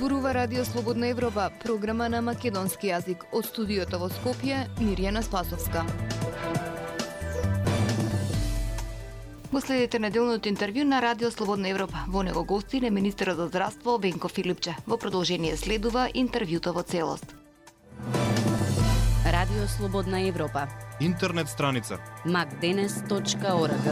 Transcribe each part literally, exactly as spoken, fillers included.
Зборува Радио Слободна Европа, програма на македонски јазик. Од студиото во Скопје, Мирјана Спасовска. Го следите неделното интервју на Радио Слободна Европа. Во него гости е министерот за здравство Венко Филипче. Во продолжение следува интервјуто во целост. Радио Слободна Европа. Интернет страница макденес точка орг.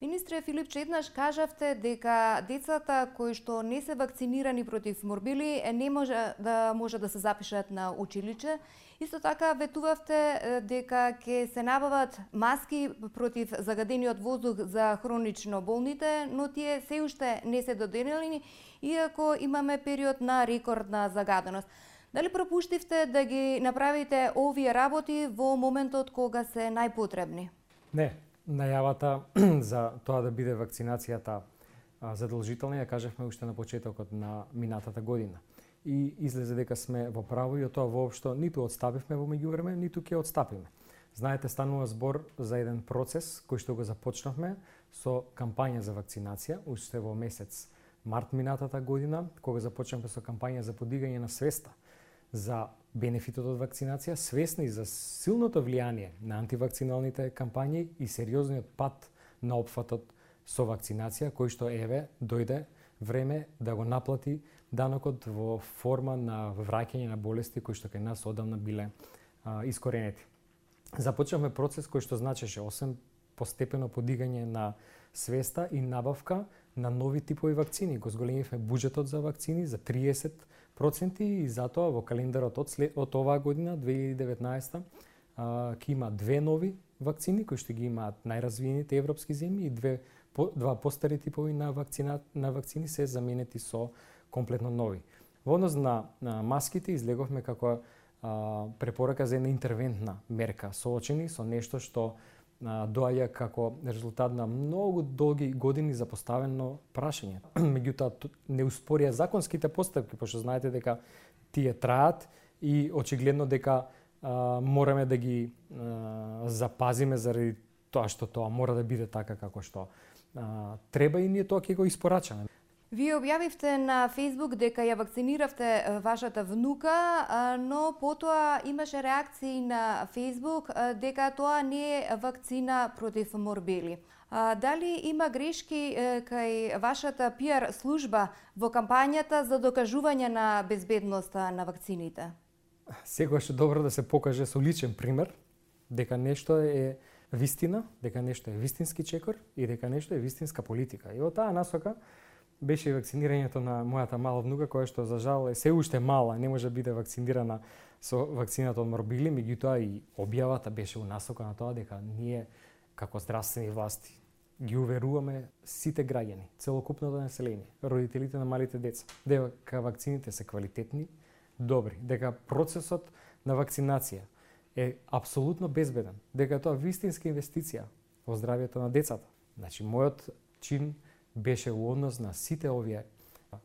Министре Филипче, еднаш кажавте дека децата кои што не се вакцинирани против морбили не може да може да се запишат на училиште. Исто така ветувавте дека ќе се набават маски против загадениот воздух за хронично болните, но тие се уште не се доделени, иако имаме период на рекордна загаденост. Дали пропуштивте да ги направите овие работи во моментот кога се најпотребни? Не. Најавата за тоа да биде вакцинацијата задолжителна ја кажавме уште на почетокот на минатата година. И излезе дека сме во право и од тоа воопшто ниту отстапивме во меѓувреме, ниту ќе отстапиме. Знаете, станува збор за еден процес кој што го започнавме со кампања за вакцинација уште во месец март минатата година, кога започнавме со кампања за подигање на свеста за бенефитот од вакцинација, свесни за силното влијание на антивакциналните кампањи и сериозниот пат на опфатот со вакцинација, кој што еве дојде време да го наплати данокот во форма на враќање на болести кои што кај нас одамна биле а, искоренети. Започнавме процес кој што значеше осем постепено подигање на свеста и набавка на нови типови вакцини. Го зголемивме буџетот за вакцини за триесет проценти и затоа во календарот од, след, од оваа година, две илјади и деветнаесета, ќе има две нови вакцини кои што ги имаат најразвиените европски земји и две, по, два постари типови на, вакцина, на вакцини се заменети со комплетно нови. Во однос на, на маските излеговме како а, препорака за една интервентна мерка, соочени со нешто што доаѓа како резултат на многу долги години за поставено прашање. Меѓутоа, не успорија законските постапки, пошто знаете дека тие траат и очигледно дека а, мораме да ги а, запазиме заради тоа што тоа мора да биде така како што а, треба и ние тоа ќе го испорачаме. Вие објавивте на Facebook дека ја вакциниравте вашата внука, но потоа имаше реакции на Facebook дека тоа не е вакцина против морбили. Дали има грешки кај вашата пиар служба во кампањата за докажување на безбедноста на вакцините? Секогаш е добро да се покаже со личен пример дека нешто е вистина, дека нешто е вистински чекор и дека нешто е вистинска политика. И од таа насока беше и вакцинирањето на мојата мала внука, која што за жал е се уште мала, не може да биде вакцинирана со вакцината од морбили, меѓутоа и објавата беше у насока на тоа дека ние како здравствени власти ги уверуваме сите граѓани, целокупното население, родителите на малите деца, дека вакцините се квалитетни, добри, дека процесот на вакцинација е апсолутно безбеден, дека тоа вистинска инвестиција во здравјето на децата. Значи, мојот чин беше во однос на сите овие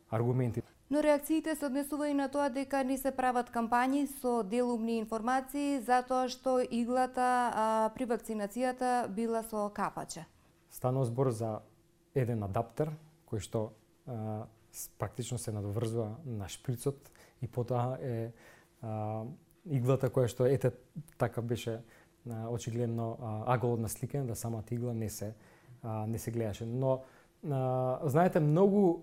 аргументи. Но реакциите се однесува и на тоа дека не се прават кампањи со делумни информации затоа што иглата а, при вакцинацијата била со капаче. Станува збор за еден адаптер кој што а, практично се надоврзува на шприцот и потоа е а, иглата која што ете така беше а, очигледно аголодна слика да самата игла не се а, не се гледаше, но Uh, знаете, многу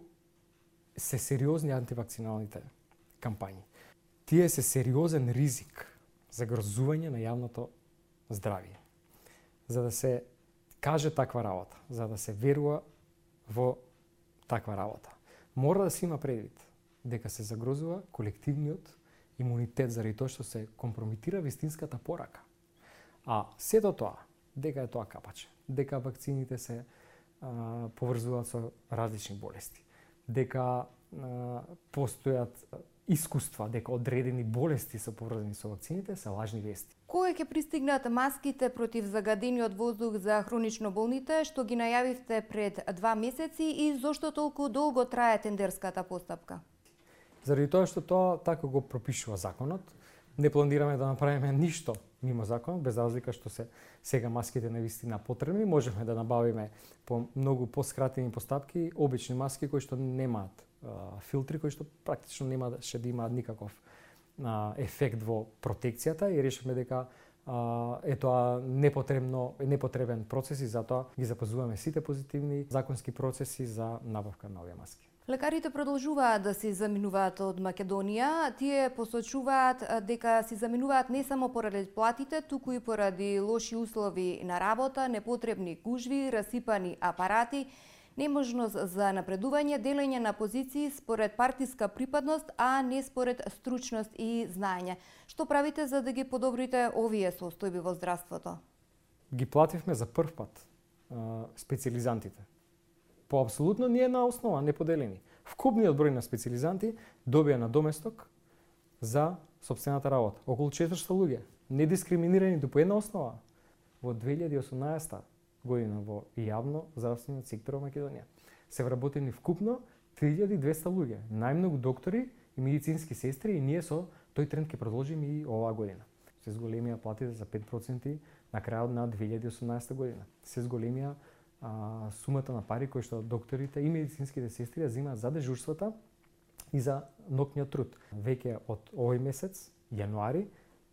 се сериозни антивакциналните кампањи. Тие се сериозен ризик за грозување на јавното здравје. За да се каже таква работа, за да се верува во таква работа, мора да се има предвид дека се загрозува колективниот имунитет заради тоа што се компрометира вистинската порака. А сето тоа, дека е тоа капаче, дека вакцините се поврзуваат со различни болести, дека а, постојат искуства дека одредени болести се поврзани со вакцините, се лажни вести. Кога ќе пристигнат маските против загадениот воздух за хронично болните, што ги најавивте пред два месеци и зошто толку долго трае тендерската постапка? Заради тоа што тоа така го пропишува законот, Не планираме да направиме ништо мимо закон, без разлика што се сега маските навистина потребни, можеме да набавиме по многу поскратени постапки обични маски кои што немаат а, филтри, кои што практично немаше да имаат никаков а, ефект во протекцијата и решивме дека а, е тоа непотребно, непотребен процес и затоа ги запазуваме сите позитивни законски процеси за набавка на овие маски. Лекарите продолжуваат да се заминуваат од Македонија. Тие посочуваат дека се заминуваат не само поради платите, туку и поради лоши услови на работа, непотребни гужви, расипани апарати, неможност за напредување, делење на позиции според партиска припадност, а не според стручност и знаење. Што правите за да ги подобрите овие состојби во здравството? Ги плативме за прв пат а, специализантите. По апсолутно ни една основа, неподелени. Вкупниот број на специализанти добија надоместок за сопствената работа. Околу четиристотини луѓе, недискриминирани до по една основа во две илјади и осумнаесета година во јавно здравствениот сектор во Македонија. Се вработени вкупно три илјади и двесте луѓе, најмногу доктори и медицински сестри, и ние со тој тренд ќе продолжиме и оваа година. Се зголемија платите за пет проценти на крајот на две илјади и осумнаесета година. Се зголемија а, сумата на пари кои што докторите и медицинските сестри ја земаат за дежурствата и за ноќниот труд. Веќе од овој месец, јануари,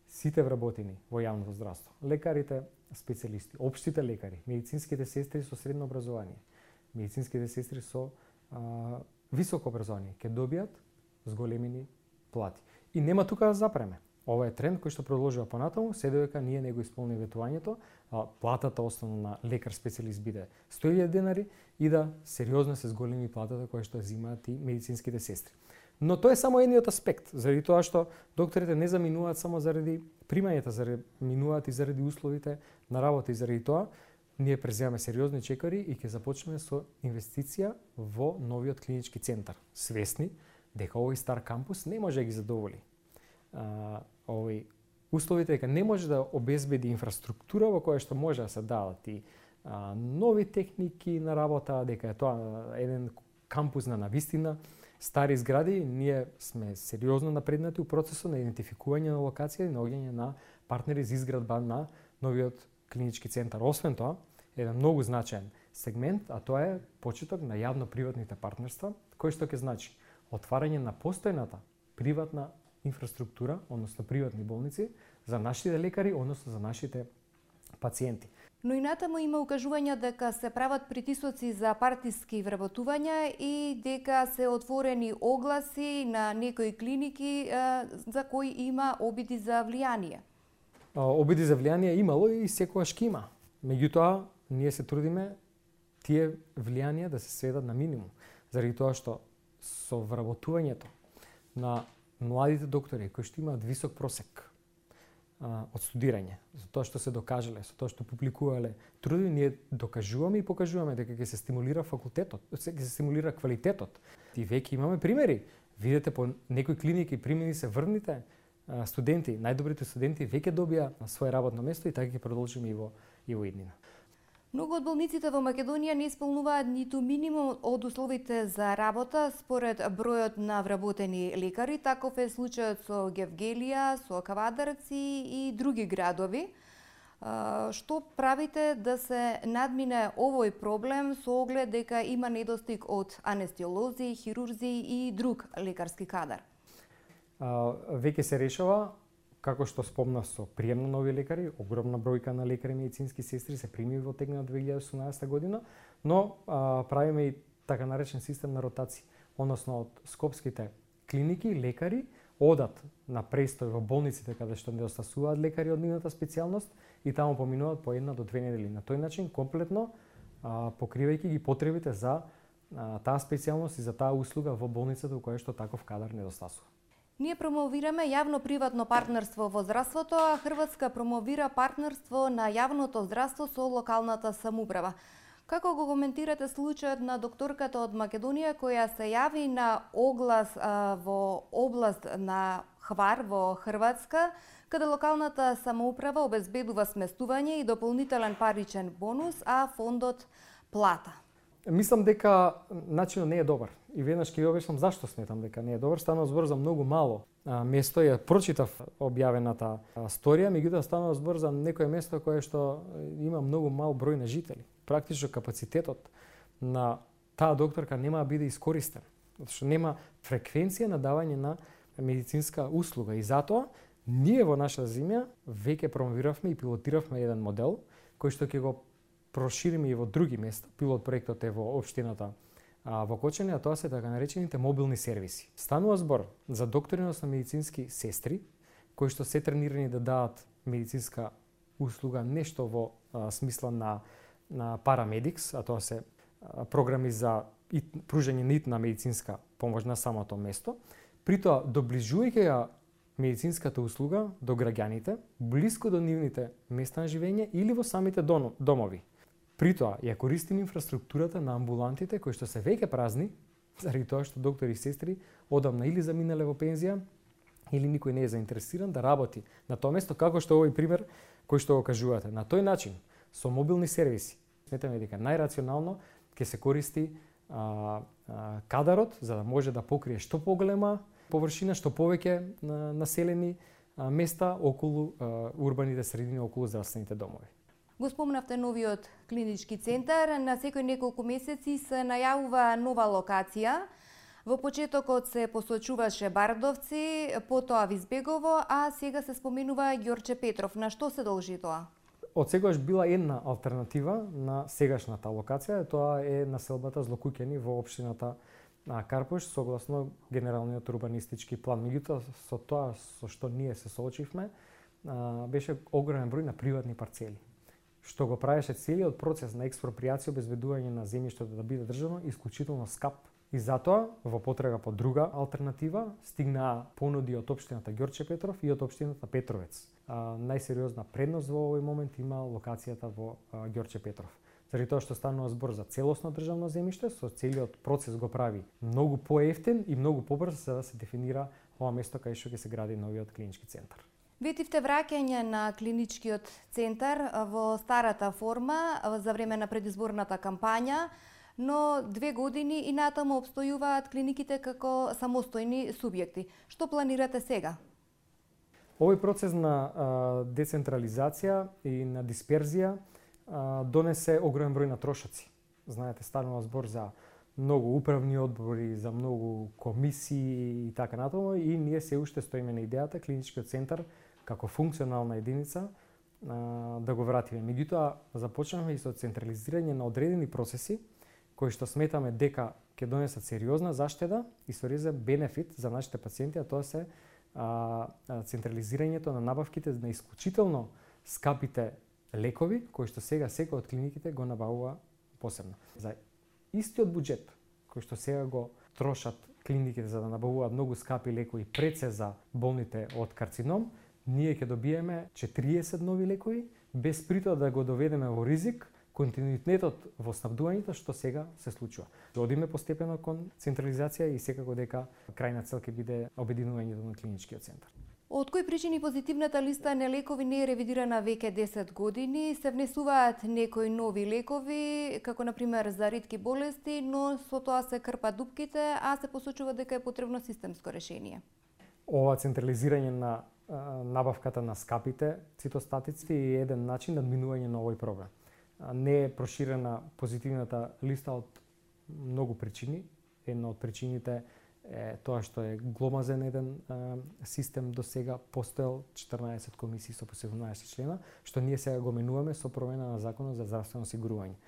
сите вработени во јавното здравство, лекарите, специјалисти, општите лекари, медицинските сестри со средно образование, медицинските сестри со а, високо образование, ќе добијат зголемени плати. И нема тука да запреме. Ова е тренд кој што продолжува понатаму, се додека ние не го исполни ветувањето, а платата основно на лекар специјалист биде сто илјади денари и да сериозно се зголеми платата која што земаат и медицинските сестри. Но тоа е само едниот аспект, заради тоа што докторите не заминуваат само заради примањата, заминуваат и заради условите на работа, и заради тоа ние преземаме сериозни чекори и ќе започнеме со инвестиција во новиот клинички центар. Свесни дека овој стар кампус не може да ги задоволи а, овој условите, дека не може да обезбеди инфраструктура во која што може да се дадат и а, нови техники на работа, дека е тоа еден кампус на навистина стари згради. Ние сме сериозно напреднати у процесот на идентификување на локација и наоѓање на партнери за изградба на новиот клинички центар. Освен тоа, еден многу значаен сегмент, а тоа е почеток на јавно-приватните партнерства, кој што ќе значи отварање на постојната приватна инфраструктура, односно приватни болници, за нашите лекари, односно за нашите пациенти. Но и натаму има укажувања дека се прават притисоци за партиски вработувања и дека се отворени огласи на некои клиники за кои има обиди за влијание. Обиди за влијание имало и секогаш ќе има. Меѓутоа, ние се трудиме тие влијанија да се сведат на минимум, заради тоа што со вработувањето на младите доктори кои што имаат висок просек а, од студирање, за тоа што се докажале, со тоа што публикувале труди, ние докажуваме и покажуваме дека ќе се стимулира факултетот, ќе се стимулира квалитетот. И веќе имаме примери. Видете по некои клиники примени се врвните а, студенти, најдобрите студенти веќе добија свое работно место и така ќе продолжиме и во и во иднина. Многу од болниците во Македонија не исполнуваат ниту минимум од условите за работа според бројот на вработени лекари. Таков е случајот со Гевгелија, со Кавадарци и други градови. Што правите да се надмине овој проблем со оглед дека има недостиг од анестезиолози, хирурзи и друг лекарски кадар? Веќе се решава, како што спомнав, со прием на нови лекари, огромна бројка на лекари и медицински сестри се прими во тек на две илјади и осумнаесета година, но а, правиме и така наречен систем на ротација, односно од скопските клиники лекари одат на престој во болниците каде што недостасуваат лекари од нивната специјалност и таму поминуваат по една до две недели. На тој начин комплетно а, покривајќи ги потребите за а, таа специјалност и за таа услуга во болницата во која што таков кадар недостасува. Ние промовираме јавно-приватно партнерство во здравството, а Хрватска промовира партнерство на јавното здравство со локалната самоуправа. Како го коментирате случајот на докторката од Македонија која се јави на оглас а, во област на Хвар во Хрватска, каде локалната самоуправа обезбедува сместување и дополнителен паричен бонус, а фондот плата? Мислам дека начинот не е добар И веднаш ќе ви објаснам зашто сметам дека не е добар. Станува збор за многу мало а, место. Ја прочитав објавената а, сторија, меѓутоа станува збор за некое место кое што има многу мал број на жители. Практично капацитетот на таа докторка нема да биде искористен, затоа што нема фреквенција на давање на медицинска услуга. И затоа ние во наша земја веќе промовиравме и пилотиравме еден модел кој што ќе го прошириме и во други места. Пилот проектот е во општината а, во Кочани, а тоа се така наречените мобилни сервиси. Станува збор за доктори, односно медицински сестри, кои што се тренирани да дадат медицинска услуга, нешто во а, смисла на, на парамедикс, а тоа се а, програми за и, пружање на медицинска помош на самото место, при тоа доближувајќи ја медицинската услуга до граѓаните, блиску до нивните места на живење или во самите домови. При тоа ја користим инфраструктурата на амбулантите кои што се веќе празни, заради тоа што доктори и сестри одамна или заминале во пензија, или никој не е заинтересиран да работи на тоа место, како што овој пример кој што го кажувате. На тој начин, со мобилни сервиси, сметаме дека најрационално ќе се користи а, а, кадарот за да може да покрие што поголема површина, што повеќе а, населени а, места околу а, урбаните средини, околу здравствените домови. Го спомнавте новиот клинички центар. На секој неколку месеци се најавува нова локација. Во почетокот се посочуваше Бардовци, потоа Визбегово, а сега се споменува Ѓорче Петров. На што се должи тоа? Од сегаш била една алтернатива на сегашната локација, тоа е населбата Злокуќани во општината Карпош, согласно генералниот урбанистички план. Меѓутоа, со тоа со што ние се соочивме, беше огромен број на приватни парцели, што го правеше целиот процес на експроприација, обезбедување на земјиштето да биде државно, исклучително скап. И затоа, во потрага по друга алтернатива, стигнаа понуди од општината Ѓорче Петров и од општината Петровец. А, најсериозна предност во овој момент има локацијата во а, Ѓорче Петров. Заради тоа што станува збор за целосно државно земјиште, со целиот процес го прави многу поевтин и многу побрз за да се дефинира ова место кај што ќе се гради новиот клинички центар. Ветивте враќање на клиничкиот центар во старата форма за време на предизборната кампања, но две години и натаму обстојуваат клиниките како самостојни субјекти. Што планирате сега? Овој процес на а, децентрализација и на дисперзија а, донесе огромен број на трошоци. Знаете, станува збор за многу управни одбори, за многу комисии и така натаму, и ние се уште стоиме на идејата клиничкиот центар како функционална единица а, да го вратиме. Меѓутоа, започнавме и со централизирање на одредени процеси кои што сметаме дека ќе донесат сериозна заштеда и сериозен бенефит за нашите пациенти, а тоа се а, а, централизирањето на набавките на исклучително скапите лекови, кои што сега секој од клиниките го набавува посебно. За истиот буџет кој што сега го трошат клиниките за да набавуваат многу скапи лекови пред се за болните од карцином, ние ќе добиеме четириесет нови лекови, без при тоа да го доведеме во ризик континуитетот во снабдувањето што сега се случува. Одиме постепено кон централизација и секако дека крајна цел ќе биде обединувањето на клиничкиот центар. Од кои причини позитивната листа на лекови не е ревидирана веќе десет години? Се внесуваат некои нови лекови, како на пример за ретки болести, но со тоа се крпат дупките, а се посочува дека е потребно системско решение. Ова централизирање на а, набавката на скапите цитостатици е еден начин на админување на овој проблем. Не е проширена позитивната листа од многу причини. Една од причините е тоа што е гломазен еден а, систем до сега, постоел четрнаесет комисии со по седумнаесет члена, што ние сега го менуваме со промена на Законот за здравствено осигурување.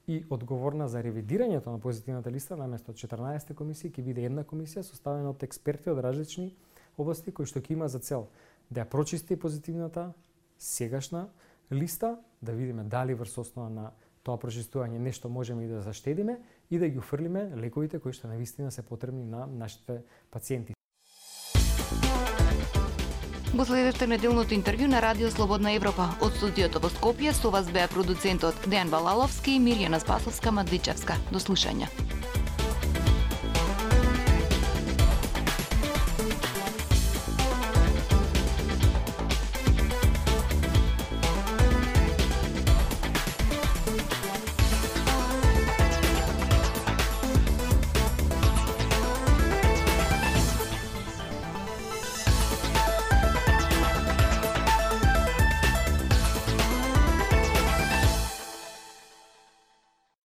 И одговорна за ревидирањето на позитивната листа наместо четрнаесет комисии ќе биде една комисија составена од експерти од различни области кои што ќе има за цел да ја прочисти позитивната сегашна листа, да видиме дали врз основа на тоа прочистување нешто можеме и да заштедиме и да ги уфрлиме лековите кои што навистина се потребни на нашите пациенти. Го следевте неделното интервју на Радио Слободна Европа. Од студиото во Скопје со вас беа продуцентот Дејан Балаловски и Мирјана Спасовска-Мадличевска. До слушање.